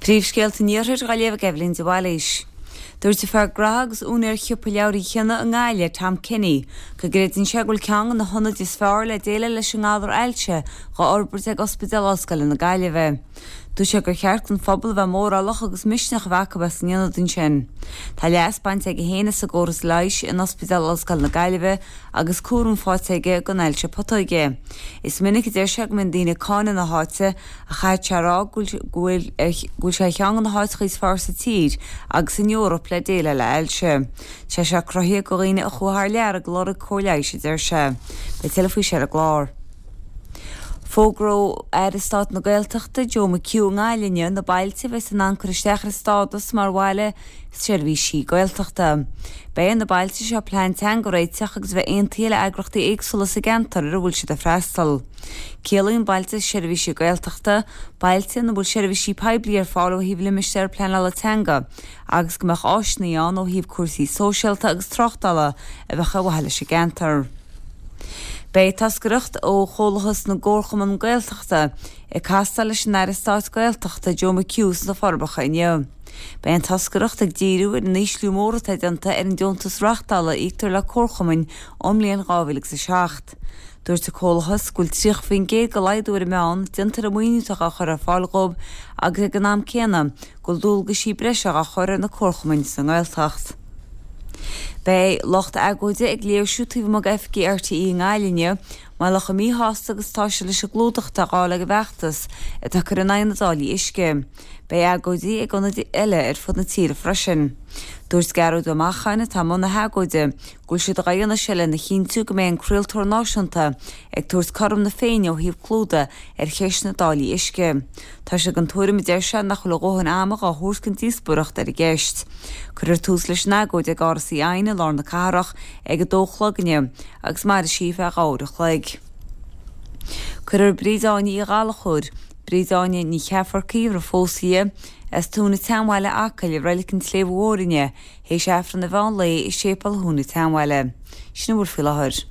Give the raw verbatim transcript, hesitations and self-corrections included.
Príomhscéalta an Iarthair á léamh ag Eibhlín de Bhailís. Dúirt fear gnó agus úinéir shiopa leabhar Uí Chionnaith i nGaillimh, Tom Kenny, go gcreideann sé go bhfuil ceann de na hionaid is fearr le déileáil leis an ngalar ailse dhá fhorbairt ag Ospidéal Ollscoile na Gaillimhe. Dúirt sé gur cheart don phobal a bheith mórálach agus misneach a bheith acu as an ionad ansin. Tá leas bainte aige féin as an gcóras leighis in Ospidéal Ollscoile na Gaillimhe agus cúram faighte aige don ailse putóige. Is minic a deir sé go mbíonn daoine ag cáineadh na háite ach caithfidh sé a rá go bhfuil go bhfuil sé ceann de na háiteacha is fearr sa tír agus san Eoraip le déileáil le hailse. Tá sé cruthaithe do dhaoine a chuaigh thar lear ag lorg cóir leighis a deir sé. Beidh tuilleadh faoi ar an gclár. Fógróidh Aire Stáit na Gaeltachta Joe McHugh i nGaillimh na bailte a bheas in ann cur isteach ar stádas mar bhaile seirbhísí Gaeltachta. Beidh na bailte seo plean teanga a réiteach agus bheith aontaithe le heagraíochtaí éagsúla sa gceantar ar a bhfuil siad ag freastal. Ciallaíonn bailte seirbhísí Gaeltachta, bailte ina bhfuil seirbhísí poiblí ar fáil ó thaobh limistéar pleanála teanga, agus go mbeadh áiseanna ann ó thaobh cúrsaí sóisialta agus tráchtála a bheadh ar mhaithe leis an gceantar. Beidh toscaireacht ó Chomhlachas na gComharchumann Gaeltachta ag castáil leis an Aire Stáit Gaeltachta Joe McHugh sna Forbacha inniu. Beidh an toscaireacht ag díriú ar an ísliú mór atá déanta ar an deontas reáchtála a íoctar le comharchumainn ón mbliain dhá mhíle agus a seacht. Dúirt an Comhlachas go bhfuil tríocha faoin gcéad de laghdú ar an meán déanta ar an maoiniú atá á chur ar fáil dóibh agus ag an am céanna go bhfuil dualgaisí breise á chur ar na comharchumainn sa nGaeltacht. Beidh lucht agóide ag léirsiú taobh amuigh d'oifigí RTÉ i nGaillimh inniu, mar gheall chomh míshásta agus atá siad leis an gclúdach atá á fháil ag an bhfeachtas atá ag cur in aghaidh na dtáillí uisce. Beidh agóidí ag ionaid eile ar fud na tíre freisin. Dúirt Gearóid Ó Macháin atá i mbun na hagóide go bhfuil siad á dhéanamh seo lena chinntiú go mbeidh an craoltóir náisiúnta ag tabhairt cothrom na Féinne ó thaobh clúdaigh ar cheist na dtáillí uisce. Tá sé den tuairim a deir sé nach bhfuil a dhóthain ama á thabhairt don díospóireacht ar an gceist. Cuirfear tús leis an agóid ag Áras Uí Eidhin i lár na cathrach ag a dó a chlog inniu agus mairfidh sí feadh dhá uair a chloig. Cuirfear Bríd Áine Uí Ghallchóir, Bríd Áine Ní Cheafarcaí roimh phósadh di, as Tóin an tSeanbhaile Acaill i Reilig an tSléibhe Mhóir inniu, théis Aifreann an mheán lae i Séipéal Thóin an tSeanbhaile. Sin a bhfuil faoi láthair.